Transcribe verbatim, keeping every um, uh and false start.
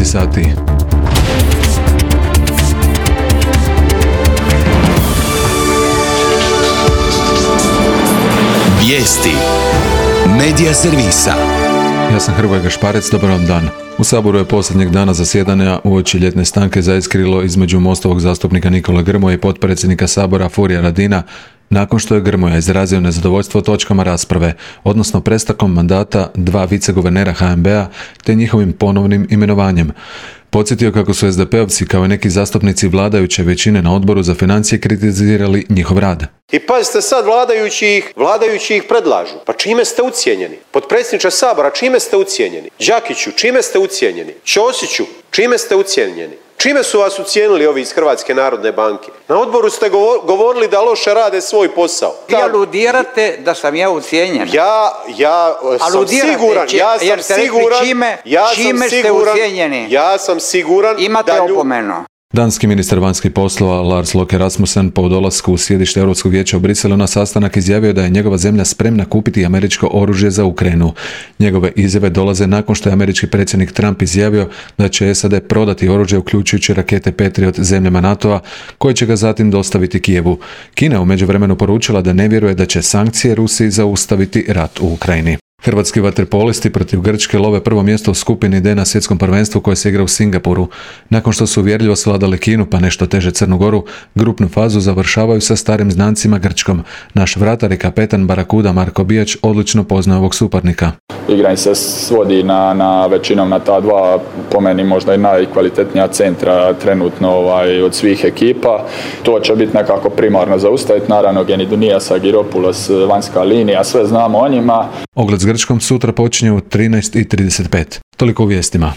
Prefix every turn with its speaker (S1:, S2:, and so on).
S1: sati.
S2: Vijesti Medija servisa.
S1: Ja sam Hrvoje Gašparec, dobar vam dan. U Saboru je posljednjeg dana zasjedanja uoči ljetne stanke zaiskrilo između Mostovog zastupnika Nikole Grmoje i potpredsjednika Sabora Furia Radina, nakon što je Grmoja izrazio nezadovoljstvo točkama rasprave, odnosno prestankom mandata dva viceguvernera H N B-a te njihovim ponovnim imenovanjem. Podsjetio kako su es de pe-ovci kao i neki zastupnici vladajuće većine na Odboru za financije kritizirali njihov rad.
S3: I pazite sad, vladajući ih, vladajući ih predlažu. Pa čime ste ucijenjeni? Potpredsjedniče Sabora, čime ste ucijenjeni? Đakiću, čime ste ucijenjeni? Ćosiću, čime ste ucijenjeni? Čime su vas ucijenili ovi iz Hrvatske narodne banke? Na odboru ste govorili da loše rade svoj posao.
S4: Vi aludirate da sam ja ucijenjen.
S3: Ja, ja sam
S4: aludirate,
S3: siguran,
S4: či,
S3: ja sam siguran,
S4: čime,
S3: ja
S4: čime
S3: sam
S4: ste
S3: siguran,
S4: ucijenjeni.
S3: Ja sam siguran
S4: imate
S3: da lju...
S4: opomenu.
S1: Danski ministar vanjskih poslova Lars Løkke Rasmussen po dolasku u sjedište Europskog vijeća u Briselu na sastanak izjavio da je njegova zemlja spremna kupiti američko oružje za Ukrajinu. Njegove izjave dolaze nakon što je američki predsjednik Trump izjavio da će es a de prodati oružje uključujući rakete Patriot zemljama NATO-a koje će ga zatim dostaviti Kijevu. Kina je u međuvremenu poručila da ne vjeruje da će sankcije Rusiji zaustaviti rat u Ukrajini. Hrvatski vaterpolisti protiv Grčke love prvo mjesto u skupini D na svjetskom prvenstvu koje se igra u Singapuru. Nakon što su uvjerljivo svladali Kinu pa nešto teže Crnu Goru, grupnu fazu završavaju sa starim znancima Grčkom. Naš vratar i kapetan Barakuda Marko Bijač odlično poznaje ovog suparnika.
S5: Igranje se svodi na, na većinom na ta dva, po meni možda i najkvalitetnija centra trenutno ovaj, od svih ekipa. To će biti nekako primarno zaustaviti. Naravno Genidunijas, Agiropoulos, vanjska linija, sve znamo o njima.
S1: Ogled s Grčkom sutra počinje u trinaest i trideset pet. Toliko u vijestima.